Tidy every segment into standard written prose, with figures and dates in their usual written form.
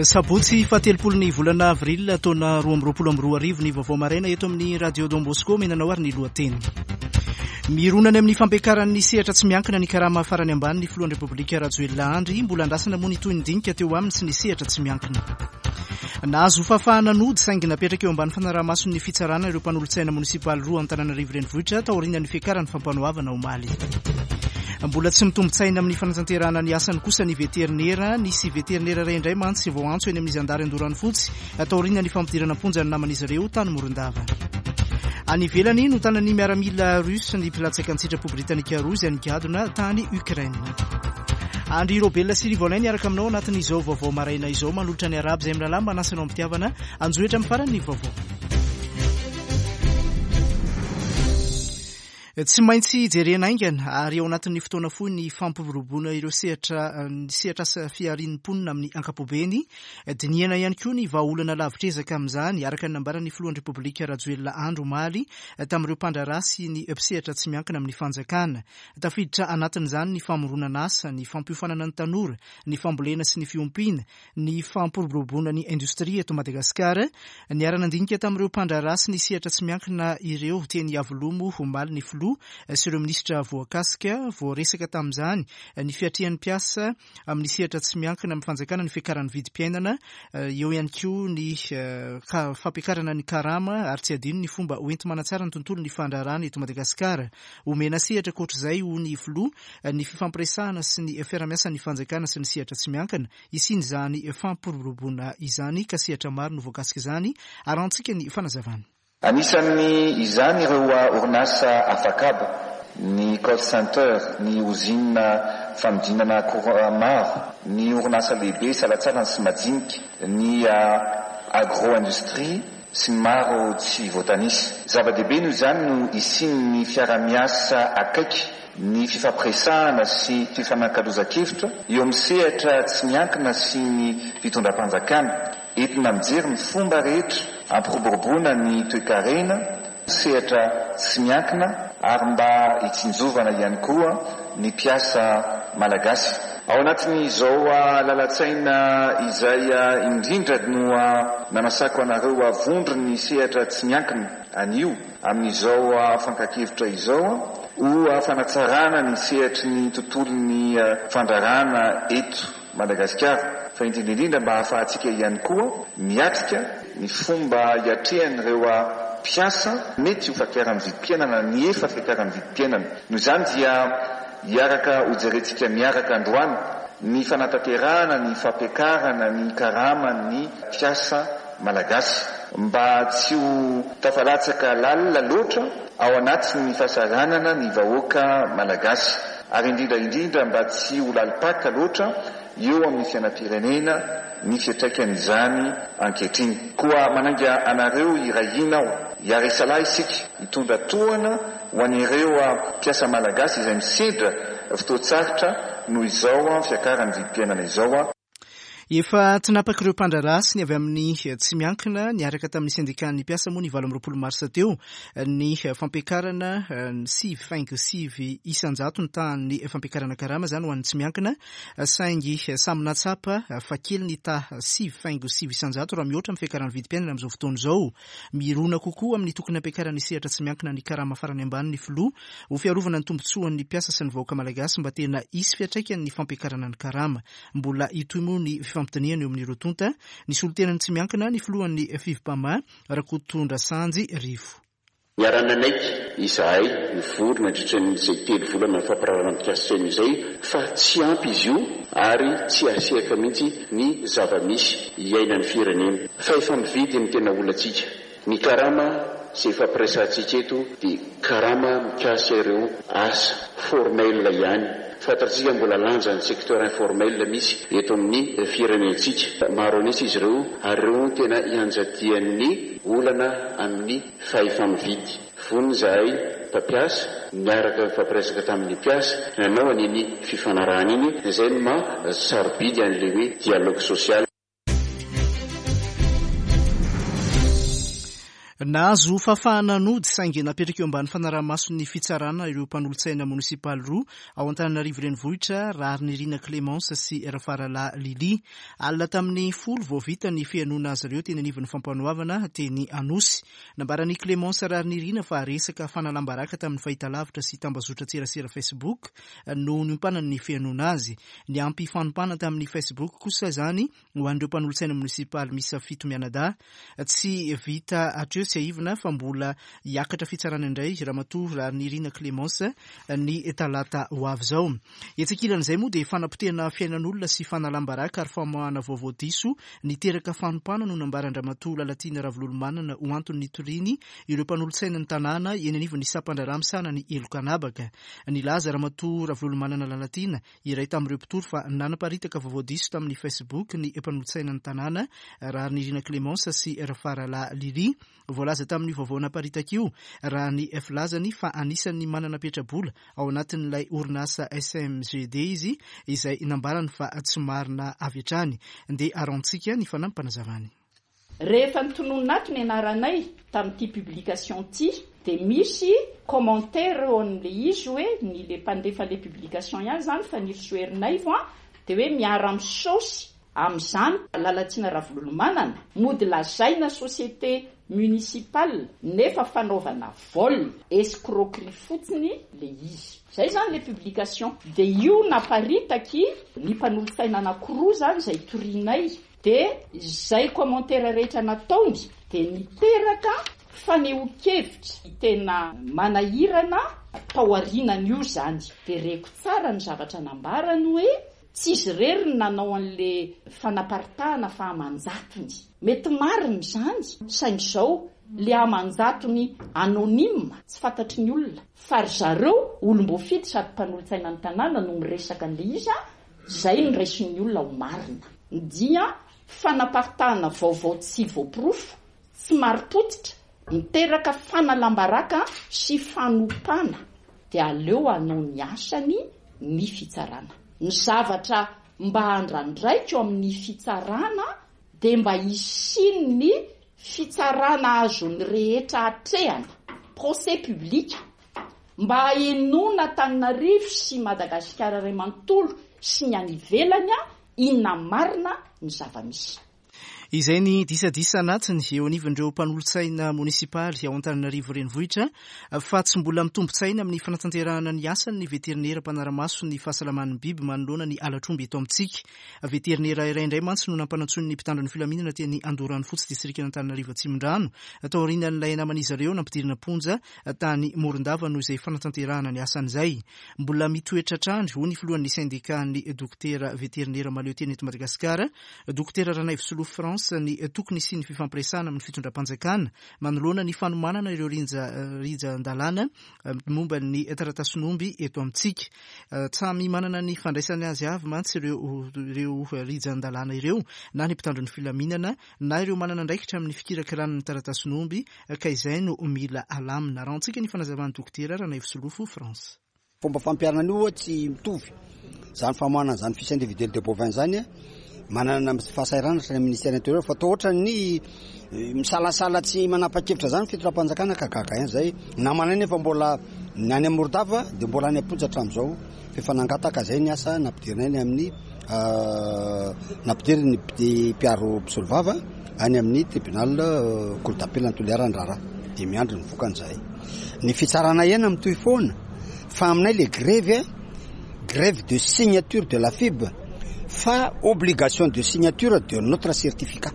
Sabotsy fahatelopolo ny volana avril taona 2022 ny vaovao maraina eto amin'ny Radio Don Bosco menanao ary ny lohateny. Mirona any amin'ny fampiakaran'ny sehatra tsy miankina ny karama farany ambany ny filohan'ny Repoblika Rajoelina Andry. Mbola andrasana moa ny tohin'ny dinika teo aminy sy ny sehatra tsy miankina. Nahazo fahafahana nody saingy napetraka eo ambany fanaraha-mason'ny fitsarana ireo mpanolotsaina monisipaly roa Antananarivo Renivohitra taorian'ny fiakaran'ny fampanoavana omaly. Mbola tsy mitombin-tsaina amin'ny fanatanterahana ny asany kosa ny veterinera. Nisy veterinera iray indray mantsy voaantso eny amin'ny zandary Andoranofotsy taorian'ny fampidirana am-ponja ny naman'izy ireo tany Morondava. Any ivelany, notanan'ny miaramila russe ny mpilatsaka an-tsitrapo britanika roa izay nigadona tany Ukraine. Andry Robel sy Rivo Alain niaraka aminao anatin'izao vaovao maraina izao manolotra ny arahaba izay mirahalahy manasa anao am-pitiavana anjohy hatramin'ny farany ny vaovao. Tsy maintsy jerena haingana ary ao anatin'ny fotoana fohy ny fampiroboroboana ireo sehatra ny sehatr'asa fiharian'ny mponina amin'ny ankapobeny. Dinihana ihany koa ny vahaolana lavitr'ezaka amin'izany, araka ny nambaran'ny filohan'ny Repoblika Rajoelina Andry omaly tamin'ireo mpandraharaha sy ny mpisehatra tsy miankina amin'ny fanjakana. Tafiditra anatin'izany ny famoronana asa, ny fampiofanana ny tanora, ny fambolena sy ny fiompiana, ny fampiroboroboana ny indostria eto Madagasikara. Niara-nandinika tamin'ireo mpandraharaha sy ny sehatra tsy miankina ireo teny Iavoloha moa omaly ny filoha sy ireo minisitra voakasika. Voaresaka tamin'izany ny fiatrehan'ny mpiasa amin'ny sehatra tsy miankina amin'ny fanjakana ny fiakaran'ny vidim-piainana, eo ihany koa ny fampiakarana ny karama ary tsy adino ny fomba hoenti-manatsara ny tontolon'ny fandraharahana eto Madagasikara. Omena sehatra ankoatr'izay, hoy ny filoha, ny fifampiresahana sy ny fiarahamiasan'ny fanjakana sy ny sehatra tsy miankina hisian'izany fampiroboroboana izany ka sehatra maro no voakasik'izany. Arahantsika ny fanazavana. Anisan'ny izany ireo orinasa afakaba, ny call center, ny ozinina fanodinana akora maro, ny orinasa lehibe salatsalany sy majinika, ny agro-industrie sy ny maro tsy voatanisa. Zava-dehibe noho izany no hisian'ny fiarahamiasa akaiky ny fifampiresahana sy fifanakalozan-kevitra eo amin'ny sehatra tsy miankina sy ny fitondram-panjakana, entina mijery ny fomba rehetra hampiroboroboana ny toekarena, sehatra tsy miankina ary mba hitsinjovana ihany koa ny mpiasa malagasy. Ao anatin'izao lalan-tsaina izay indrindra no nanasako anareo vondron'ny sehatra tsy miankina anio, Amin'izao fankan-kevitra izao, ho fanatsarana ny sehatry ny tontolon'ny fandraharahana eto Madagasikara, fa indrindra indrindra mba hahafahantsika ihany koa miatrika ny fomba hiatrehan'ireo mpiasa mety ho fiakaran'ny vidim-piainana ny efa fiakaran'ny vidim-piainana. Noho izany dia hiaraka hojerentsika miaraka androany ny fanatanterahana ny fampiakarana ny karaman'ny mpiasa Malagasy mba tsy ho tafalatsaka lalina loatra ao anatin'ny fahasahiranana ny vahoaka Malagasy ary indrindra indrindra mba tsy ho lalim-paka loatra eo amin'ny fiainam-pirenena ny fiantraikan'izany ankehitriny. Koa manainga anareo hiray hina aho, hiara-hisalahy isika, hitondra tohana ho an'ireo mpiasa Malagasy izay misedra fotoan-tsarotra noho izao fiakaran'ny vidim-piainana izao. Efa tinapak'ireo mpandraharaha sy ny avy amin'ny tsy miankina niaraka tamin'ny sendikan'ny mpiasa moa ny 28 marsa teo ny fampiakarana 9,9 isan-jato ny tahan'ny fampiakarana karama izany ho an'ny tsy miankina saingy samy nahatsapa fa kely ny taha 9,9 isan-jato raha mihoatra amin'ny fiakaran'ny vidim-piainana amin'izao fotoana izao. Mirona kokoa amin'ny tokony hampiakaran'ny sehatra tsy miankina ny karama farany ambany ny filoha ho fiarovana ny tombontsoan'ny mpiasa sy ny vahoaka malagasy mba tena hisy fiantraikany ny fampiakarana ny karama. Mbola hitohy moa ny fifampidinihana eo amin'ireo tonta. Nisolo tena ny tsy miankina ny filohan'ny Fivmpama, Rakotondrasanjy Rivo. Niara-nanaiky izahay nivory nandritra ny izay telo volana nifampiraharahana mikasika an'izay fa tsy ampy izy io ary tsy hahasehaka mihitsy ny zava-misy iainan'ny firenena. Fahefa-mividy no tena olantsika. Ny karama izay ifampiresahantsika eto dia karama mikasika ireo asa formel ihany. Fantatsika mbola lanjan'ny secteur informel misy eto amin'ny firenentsika. Maro an'isa izy ireo ary ireo no tena ianjadian'ny olana amin'ny fahefa-mividy. Vonona izahay mpampiasa niaraka nifampiresaka tamin'ny mpiasa nanao an'iny fifanarahana iny, izay no maha sarobidy an'ilay hoe dialogue social. Nahazo fahafahana nody saingy napetraka eo ambany fanaraha-mason'ny fitsarana ireo mpanolotsaina monisipaly roa ao Antananarivo Renivohitra, Raharinirina Clémence sy Rafaralahy Lily. Alina tamin'ny 10 vao vita ny fihainoana azy ireo teny anivon'ny fampanoavana teny Anosy. Nambaran'i Clémence Raharinirina fa resaka fanalam-baraka tamin'ny fahitalavitra sy tambazotran-tserasera Facebook no niompanan'ny fihainoana azy. Niampy fanompana tamin'ny Facebook kosa izany Ho an'ireo mpanolotsaina monisipaly miisa fito mianadahy, tsy vita hatreo tsiahivina fa mbola hiakatra fitsarana indray Ramatoa Raharinirina Clémence ny talata ho avy izao. Etsy ankilan'izay moa dia fanapotehana fiainan'olona sy fanalam-baraka ary famoahana vaovao diso niteraka fanompana no nambaran-dRamatoa Lalatiana Ravololomanana ho antony nitoriany ireo mpanolotsainan'ny tanàna eny anivon'ny sampandraharaha misahana ny heloka an'habaka. Nilaza Ramatoa Ravololomanana Lalatiana Iray tamin'ireo mpitory fa nanaparitaka vaovao diso tamin'ny Facebook ny mpanolotsaina ny tanàna, Raharinirina Clémence sy Rafaralahy Lily. Voalaza tamin'io vaovao naparitaka io, raha ny filazany, fa anisan'ny manana petra-bola ao anatin'ilay orinasa SMGD izy, izay nambarany fa tsy marina avy hatrany. Ndeha arahantsika ny fanampim-panazavany. Rehefa notononina ato ny anaranay tamin'ity publication ity dia misy commentaire eo amin'ilay izy hoe ny le mpandefa le publication ihany izany Fanirisoa Ernaivo an, dia hoe miara misaosy amin'izany Lalatiana Ravololomanana, mody lazaina société municipale nefa fanaovana vol, escroquerie fotsiny le izy. Zay izany le publication. Dia io naparitaky ny mpanolotsaina anakiroa izany izay torianay. Dia izay commentaire rehetra nataony dia niteraka fanehoan-kevitra tena manahirana tao aorianan'io izany. Dia reko tsara ny zavatra nambarany hoe tsy izy irery no nanao an'le fanaparitahana fa aman-jatony. Mety marina izany saingy izao le aman-jatony anonyme tsy fantatry ny olona fa ry zareo olom-boafidy sady mpanolotsaina ny tanàna no miresaka an'le izy an! Izay no raisin'ny olona ho marina. Dia fanaparitahana vaovao tsy voaporofo, tsy marim-pototra, miteraka fanalam-baraka sy fanompana dia aleo hanao ny asany ny fitsarana. Ny zavatra mba andrandraiko amin'ny fitsarana dia mba hisian'ny fitsarana azon'ny rehetra atrehana, procès public, Mba hahenoana Antananarivo sy Madagasikara iray manontolo sy ny any ivelany inona marina ny zava-misy. Izay ny disadisa anatiny eo anivon'ireo mpanolotsaina monisipaly ao Antananarivo Renivohitra fa tsy mbola mitombin-tsaina amin'ny fanatanterahana ny asany ny veterinera mpanara-maso ny fahasalaman'ny biby manoloana ny halatr'omby eto amintsika. Veterinera iray indray mantsy no nampanantsoin'ny mpitandro ny filaminana teny Andoharanofotsy distrikan'Antananarivo Atsimondrano taorian'ilay naman'izy ireo nampidirina am-ponja tany Morondava noho izay fanatanterahana ny asany izay. Mbola mitoetra hatrany, hoy ny filohan'ny sendikan'ny dokotera veterinera mahaleo tena eto Madagasikara, Dokotera Ranaivosolofo France, ny tokony hisian'ny fifampiresahana amin'ny fitondram-panjakana manoloana ny fanomanana ireo rijan-dalàna momba ny taratasin'omby eto amintsika. Samy manana ny fandraisany azy avy mantsy ireo ireo rijan-dalàna ireo, na ny mpitandro ny filaminana, na ireo manana andraikitra amin'ny fikirakirana ny taratasin'omby, ka izay no mila alamina. Arahantsika ny fanazavan'ny Dokotera Ranaivosolofo France. Fomba fampiharana an'io tsy mitovy izany famoahana an'izany fiche individuelle de bovin izany manana fahasahiranana hatrany amin'ny ministère intérieur fa toa ohatran'ny misalasala tsy manapa-kevitra izany fitondram-panjakana ka gaga ihany izay namanay nefa mbola ny any Morondava dia mbola any am-ponja hatramin'izao fa efa nangataka izay ny asa nampidirina any amin'ny nampidiriny ny mpiaro mpisolovava any amin'ny tribunal cour d'appel any Toliara ny raharaha dia miandry ny vokany izahay ny fitsarana ihany mitohy foana fa aminay le grevy grève de signature de la FIB fa obligation de signature de notre certificat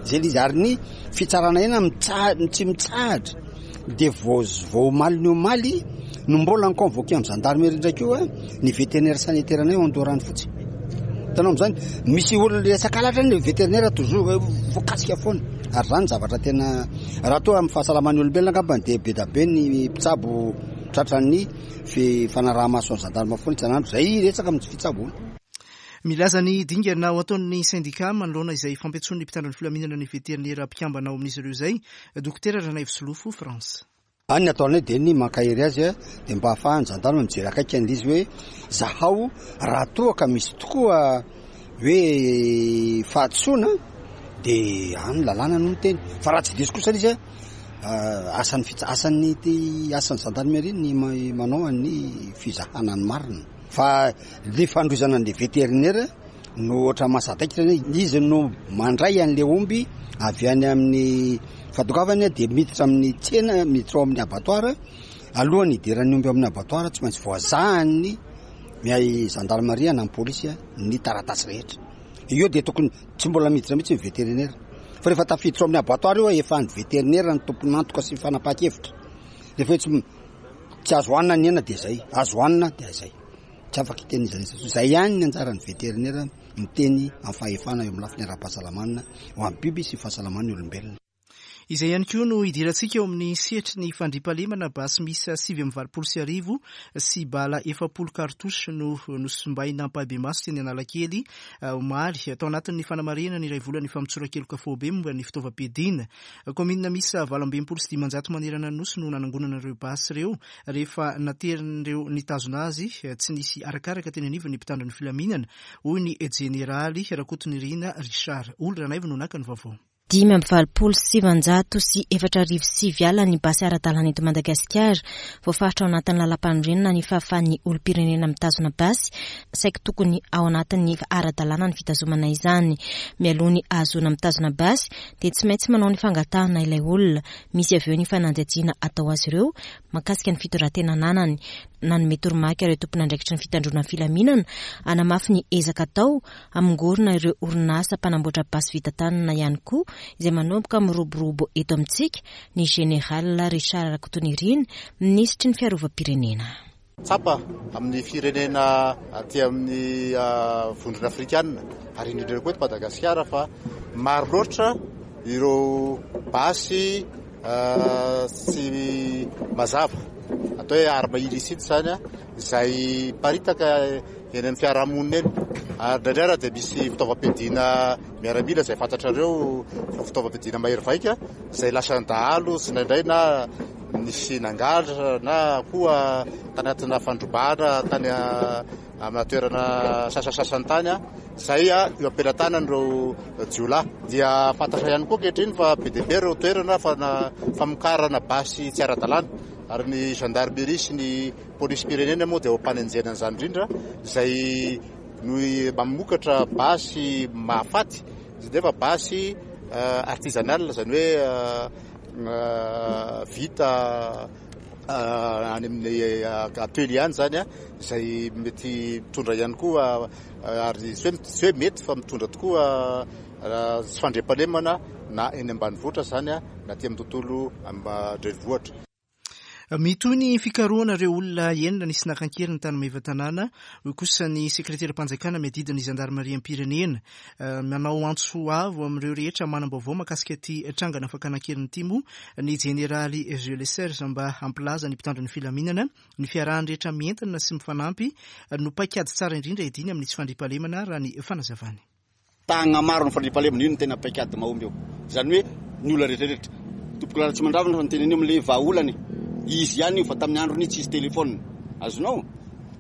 zay le izy ary ny fitsarana ihany mitsa- tsy mitsahatra dia vao vao omaly ny omaly no mbola ni-convoqué amin'ny gendarmerie ndraiky io ny vétérinaire sanitaire anay ao Andoharanofotsy hitanao am'zany misy olona resaka halatra ny vétérinaire toujours voakasika foana ary zany zavatra tena raha toa amin'ny fahasalaman'ny olombelona angambany dia be da be ny mpitsabo tratran'ny fanaraha-maso ny gendarme foana isan'andro zay resaka amin'ny fitsaboana. Milaza ny dingana ho ataon'ny sendika manoloana izay fampiantsoan'ny mpitandro ny filaminana ny veterinera mpikambana ao amin'izy ireo izay, Dokotera Ranaivosolofo France. Any ny ataonay dia ny mankahery azy dia mba ahafahan'ny gendarme mijery akaiky an'ilay izy hoe zahao raha toa ka misy tokoa hoe fahadisoana dia any lalàna no miteny fa raha tsy diso kosa ilay izy. Asan'ny fitsa- asan'ny ty asan'ny gendarmerie ny manao ny fizahana ny marina. Fa le fandroizana an'le vétérinaire no ohatra mahasadaikitra zany, izy no mandray an'le omby avy any amin'ny fahatongavany dia miditra amin'ny tsena, miditra ao amin'ny abattoir. Alohan'ny hidiran'ny omby ao amin'ny abattoir tsy maintsy voazahan'ny miay gendarmerie na ny polisy ny taratasy rehetra. Eo dia tokony tsy mbola miditra mihitsy ny vétérinaire. Fa rehefa tafiditra ao amin'ny abattoir io efa ny vétérinaire no tompon'antoka sy fanapahan-kevitra. Rehefa hoe tsy tsy azo hanina ny hena dia zay, azo hanina dia zay. Tsy afaka hiteny iza n'iza intsony. Zay ihany ny anjaran'ny vétérinaire miteny amin'ny fahefana eo amin'ny lafiny ara-pahasalamana ho an'ny biby sy fahasalaman'ny olombelona. Izay ihany koa no hidirantsika eo amin'ny sehatry ny fandriampahalemana, basy miisa 1089 sy bala 40 cartouches no nosimbaina ampahibemaso teny Analakely omaly, tao anatin'ny fanamarihana ny iray volan'ny famotsoran-keloka faobe momba ny fitaovam-piadiana. Kaominina miisa 568 manerana ny Nosy no nanangonana ireo basy ireo rehefa naterin'ireo nitazona azy tsy nisy arakaraka teny anivon'ny mpitandro ny filaminana, hoy ny jeneraly Rakotonirina Richard. Oly Ranaivo no naka ny vaovao. 3985 ala ny basy ara-dalàna eto Madagasikara. Voafaritra ao anatin'ny lalàmpanorenana ny fahafahan'ny olom-pirenena mitazona basy, saiky tokony ao anatin'ny ara-dalàna ny fitazomana izany. Mialoha ny ahazoana mitazona basy dia tsy maintsy manao ny fangatahana ilay olona. Misy avy eo ny fanadihadiana atao azy ireo mahakasika ny fitondran-tena ananany. Nanome toromarika ireo tompon'andraikitry ny fitandroana ny filaminana hanamafy ny ezaka atao Hamongorona ireo orinasa mpanamboatra basy vita tanana ihany koa izay manomboka miroborobo eto amintsika ny Général Richard Rakotonirina, minisitry ny fiarovam-pirenena. Tsapa amin'ny firenena aty amin'ny vondrona afrikana ary indrindra koa eto Madagasikara fa maro loatra ireo basy tsy mazava atao hoe arme illicite izany izay miparitaka eny amin'ny fiarahamonina eny. Ary indraindray ara dia misy fitaovam-piadiana miaramila izay fantatrareo fa fitaovam-piadiana mahery vaika izay lasan'ny dahalo sy indraindray na nisy nangalatra na koa tanatina fandrobana tany amina toerana sasasasany tany izay eo am-pelatanan'ireo jiolahy. Dia fantatra ihany koa ankehitriny fa be dia be ireo toerana famokarana basy tsy ara-dalàna ary ny gendarmerie sy ny Polisim-pirenena moa dia eo am-panenjehana an'izany indrindra, izay no mamokatra basy mahafaty, nefa basy artisanal, izany hoe vita any amin'ny atelier any izany, izay mety mitondra ihany koa, ary tsy hoe mety fa mitondra tokoa tsy fandriampahalemana na eny ambanivohitra izany na aty amin'ny tontolo an-drenivohitra. Mitohy ny fikarohana ireo olona enina nisy naka an-keriny tany Maevatanàna, hoy kosa ny sekreteram-panjakana miadidy ny zandarimariam-pirenena. Manao antso avo amin'ireo rehetra manam-baovao mahakasika ity trangana fakana an-keriny ity moa ny jeneraly Jules Serge mba hampilaza ny mpitandro ny filaminana ny fiarahan'ny rehetra mientana sy mifanampy no paikady tsara indrindra hiadiana amin'ny tsy fandriampahalemana raha ny fanazavany. Tagnamaro ny fandriampahalemana, io no tena paikady mahomby eo. Izany hoe ny olona rehetra rehetra. Tompokolahy Ratsimandravina fa niteny an'io amin'ilay vahaolana e. Izy ihany io fa tamin'ny androny tsisy téléphone. Azonao?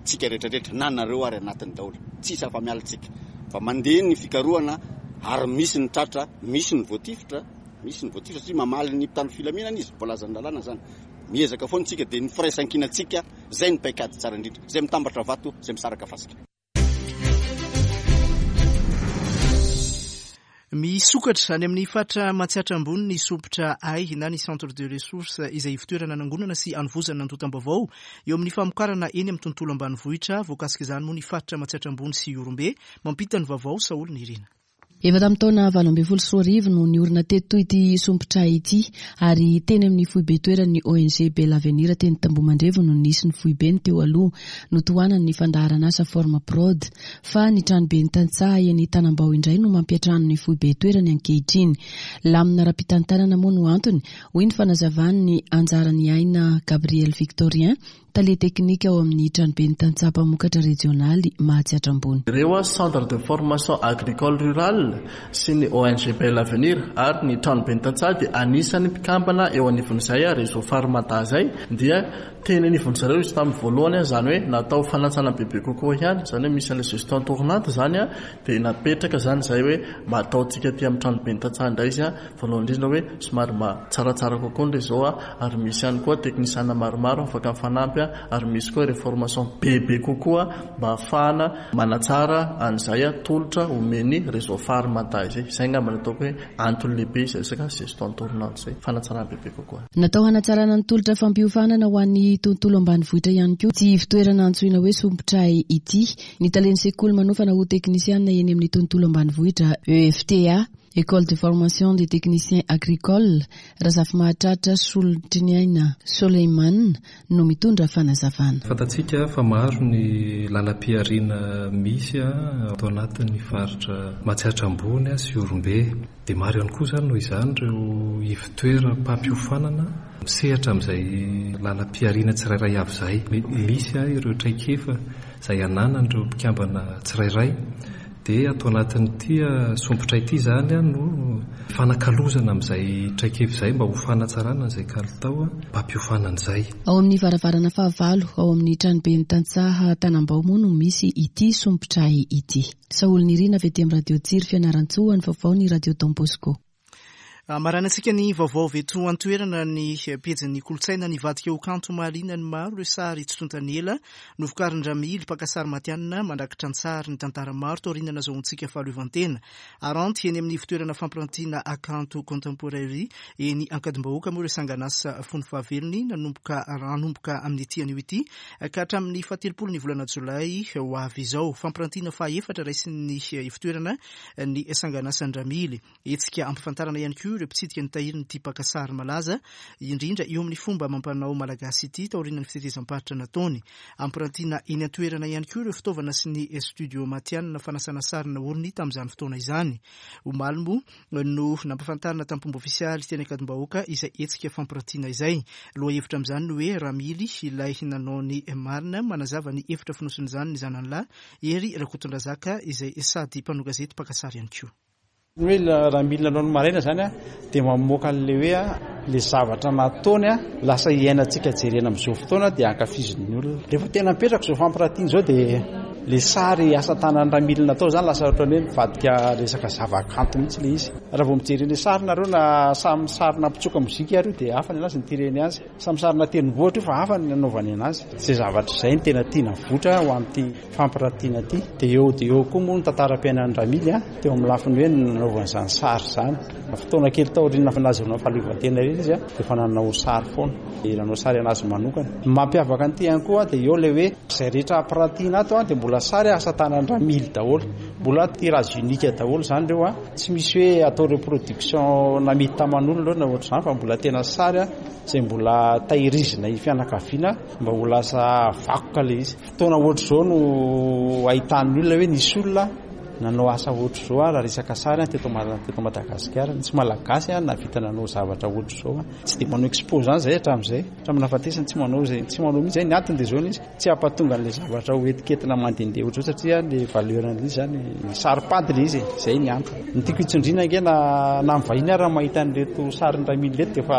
Tsika rehetra rehetra, na nareo ary anatiny daholo. Tsisy afa-miala tsika. Fa mandeha ny fikarohana ary misy ny tratra, misy ny voatifitra, misy ny voatifitra satria mamaly ny mpitandro filaminana izy, voalazan'ny lalàna izany. Miezaka foana tsika dia ny firaisankinantsika, izay no paikady tsara indrindra. Izay mitambatra vato, izay misaraka fasika. Misokatra any amin'ny faritra Matsiatra Ambony ny sompitra Hay na ny Centre de Ressources izay ivotoerana anangonana sy anovozana antontam-baovao eo amin'ny famokarana eny amin'ny tontolo ambanivohitra. Voakasik'izany moa ny faritra Matsiatra Ambony sy Ihorombe. Mampita ny vaovao Saholy Nirina. Efa tamin'ny taona 2018 no niorina teto ity sompitra ity ary teny amin'ny foibe toeran'ny ONG Bel Avenir teny Tambohomandrevo no nisy ny foibeny teo aloha. Notohanan'ny fandaharanasa Form Prod. Fa ny tranoben'ny tantsaha eny Tanambao indray no mampiantrano ny foibe toerany ankehitriny. Lamina ara-pitantanana moa no antony, hoy ny fanazavan'i Anjaraniaina Gabriel Victorien, tale teknika ao amin'ny Tranoben'ny Tantsaha Mpamokatra Rejionaly Mahatsiatra Ambony. Ireo Centre de Formation Agricole Rurale sy ny ONG Bel Avenir ary ny Tranoben'ny Tantsaha dia anisan'ny mpikambana eo anivon'izay Réseau Farmada izay dia teny anivon-dry zareo izy tamin'ny voalohany, izany hoe natao fanatsana bebe kokoa ihany, izany hoe misy an'ilay gestion tournante izany dia napetraka izany izay hoe mba ataontsika aty amin'ny Tranoben'ny Tantsaha indray izy voalohany indrindra hoe somary mba tsaratsara kokoa ny réseau ary misy ihany koa teknisiana maromaro afaka mifanampy ary misy koa ireo formation bebe kokoa mba ahafahana manatsara an'izay tolotra omen'ny réseau phare Mada izay. Izay angamba no ataoko hoe antony lehibe izay resaka gestion tournante izay, fanatsarana bebe kokoa. Natao hanatsarana ny tolotra fampiofanana ho an'ny tontolo ambanivohitra ihany koa ity ivontoerana antsoina hoe Sompitray ity. Ny talen'ny sekoly manofana ho teknisianina eny amin'ny tontolo ambanivohitra, EFTA, École de formation des techniciens agricoles, Razafimahatratra Solontriniaina Soleiman no mitondra fanazavana. Fantatsika fa maro ny lalam-pihariana misy ato anatin'ny faritra Matsiatra Ambony sy Ihorombe. Dia maro ihany koa izany noho izany ireo ivotoeram-pampiofanana misehatra amin'izay lalam-pihariana tsirairay avy izay. Misy ireo traikefa izay ananan'ireo mpikambana tsirairay dia ato anatin'ity sompitra ity izany no fanakalozana amin'izay traikefa izay mba ho fanatsarana an'izay kalitao mpampiofanana izay. Ao amin'ny varavarana fahavalo ao amin'ny tranoben'ny tantsaha Tanambao moa no misy ity sompitra ity. Saholinirina avy aty amin'ny Radio Tsiry Fianarantsoa ho an'ny vaovao ny Radio Don Bosco. Amaranantsika ny vaovao avy eto an-toerana ny pejin'ny kolontsaina nivadika ho kanto mahaliana ny maro ireo sary tsy tontan'ny ela novokarin-dRamily, mpaka sary matihanina mandrakitra an-tsary ny tantara maro taorian'ny nazahoantsika fahaleovantena. Aranty eny amin'ny ivontoerana fampirantiana Akanto Contemporary eny Ankadimbahoaka moa ireo sangan'asa fony fahavelony nanomboka hanomboka amin'ity anio ity ka hatramin'ny fahatelopolo ny volana jolay ho avy izao. Fampirantiana fahaefatra raisin'ny ivontoerana ny sangan'asan-dRamily. Hetsika ampifantarana ihany koa ireo mpitsidika ny tahirin'ity mpaka sary malaza indrindra eo amin'ny fomba amam-panao malagasy ity taorian'ny fitetezam-paritra nataony. Ampirantiana eny an-toerana ihany koa ireo fitaovana sy ny studio matihanina fanasana sary naoriny tamin'izany fotoana izany. Omaly moa no nampafantarina tamin'ny fomba ofisialy teny Ankadimbahoaka izay hetsika fampirantiana izay. Lohahevitra amin'izany ny hoe Ramily ilay nanao ny marina. Manazava ny hevitra fonosin'izany ny zanany lahy, Hery Rakotondrazaka izay sady mpanao gazety mpaka sary ihany koa. Ny hoe raha milina anao ny maraina izany dia mamoaka an'ilay hoe ilay zavatra nataony lasa iainantsika jerena amin'izao fotoana dia ankafizin'ny olona. Rehefa tena mipetraka izao fampiratiana izao dia ilay sary asa tanan'ny ramilina atao izany lasa ohatran'ny hoe mivadika resaka zavakanto mihitsy ilay izy. Raha vao mijery an'ilay sary nareo na samy sarina mpitsoka mozika ary io dia hafa ny anazy ny tireny azy. Samy sarina tendrombohitra io fa hafa ny nanaovany anazy. Izay zavatra izay no tena tiana avoitra ho an'ity fampiratiana ity. Dia eo dia eo koa moa ny tantaram-piainan'i Ramily teo amin'ny lafiny hoe nanaovany izany sary izany. Fotoana kely taorian'ny nahazoana fahaleovantena irery izy dia efa nanao sary foana. Dia nanao sary an'azy manokana. Ny mampiavaka an'ity ihany koa dia eo ilay hoe izay rehetra ampiratiana ato dia mbola sary asa tanan'i Ramily daholo. Mbola tirage unique daholo izany ireo. Tsy misy hoe atao reproduction namidy taman'olona ireo na ohatr'izany fa mbola tena sary izay mbola tahirizina ny fianakaviana mba ho lasa vakoka ilay izy. Fotoana ohatr'izao no ahitan'ny olona hoe nisy olona nanao asa ohatr'izao raha resaka sary teto teto Madagasikara. Nisy Malagasy nahavita nanao zavatra ohatr'izao. Tsy dia manao expo izany izahay hatramin'izay. Hatramin'ny nahafatesany tsy manao izay, tsy manao mihitsy izay. Ny antony dia izao ny izy. Tsy hampatonga an'ilay zavatra ho etiketina mandehandeha ohatr'izao satria ilay valeur an'ilay izy izany saro-pady ilay izy e, izay ny antony. Ny tiako hitsindriana ange na na ny vahiny ary raha mahita an'ireto sarin'i Ramily ireto dia efa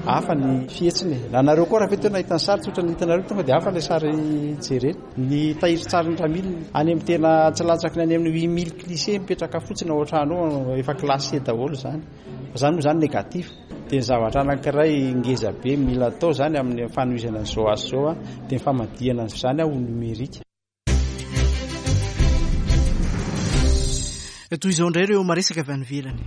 hafa ny fihetsiny e. Na nareo koa raha fety hoe nahita ny sary tsotra ny hitanareo tonga dia hafa ilay sary jerena. Ny tahirin-tsarin'i Ramily any amin'ny tena tsy latsaky ny any amin'ny 8000 clichés mipetraka fotsiny ao an-trano ao efa classé daholo izany. Fa izany moa izany négatif. Dia ny zavatra anankiray ngeza be mila atao izany amin'ny fanohizana an'izao asa izao dia ny famadihana an'izany ho numérique. Toy izao indray ireo maresaka avy any ivelany.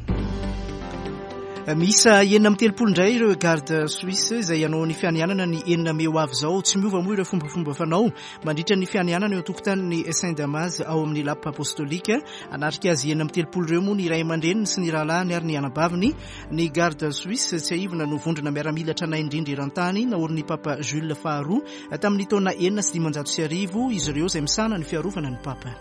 Miisa 36 indray ireo garde suisse izay hanao ny fianianana ny enina mey ho avy izao. Tsy miova moa ireo fombafomba fanao mandritra ny fianianana eo an-tokotanin'ny Saint Damas ao amin'ny Lapa Apostolika. Hanatrika azy 36 ireo moa ny ray aman-dreniny sy ny rahalahiny ary ny anabaviny. Ny Garde Suisse, tsiahivina no vondrona miaramila tranainy indrindra eran-tany, naorin'ny Papa Jules faharoa tamin'ny taona 1506 izy ireo izay misahana ny fiarovana ny Papa.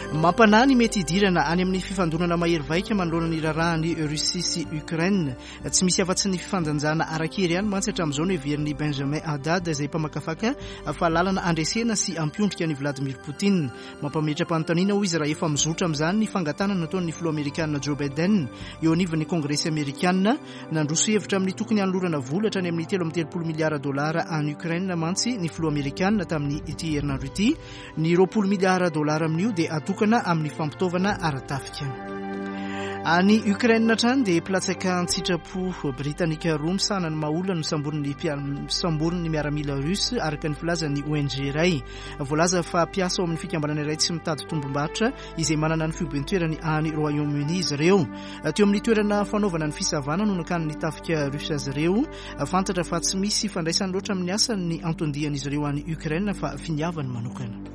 Mampanahy ny mety hidirana any amin'ny fifandonana mahery vaika manoloana ny raharahan'i Russie sy Ukraine. Tsy misy afa-tsy ny fifandanjana ara-kery ihany mantsy hatramin'izao no heverin'i Benjamin Haddad izay mpamakafaka fa lalana handresena sy hampiondrika an'i Vladimir Poutine. Mampametra-panontaniana hoy izy raha efa mizotra amin'izany ny fangatahana nataon'ny filoha amerikana Joe Biden eo anivon'ny Kongresy amerikana. Nandroso hevitra amin'ny tokony hanolorana vola hatrany amin'ny 33 miliara dolara any Ukraine mantsy ny filoha amerikana tamin'ny ity herinandro ity. Ny 20 miliara dolara amin'io dia atokana amin'ny fampitaovana ara-tafika. Any Ukraine hatrany dia mpilatsaka an-tsitrapo britanika roa misahana ny maha-olona no samborin'ny miaramila russe araka ny filazan'ny ONG iray. Voalaza fa mpiasa ao amin'ny fikambanana iray tsy mitady tombom-barotra izay manana ny foiben-toerany any Royaume-Uni izy ireo. Teo amin'ny toerana fanaovana ny fisavana no nakan'ny tafika russe azy ireo. Fantatra fa tsy misy ifandraisany loatra amin'ny asany ny anton-dian'izy ireo any Ukraine fa finiavany manokana.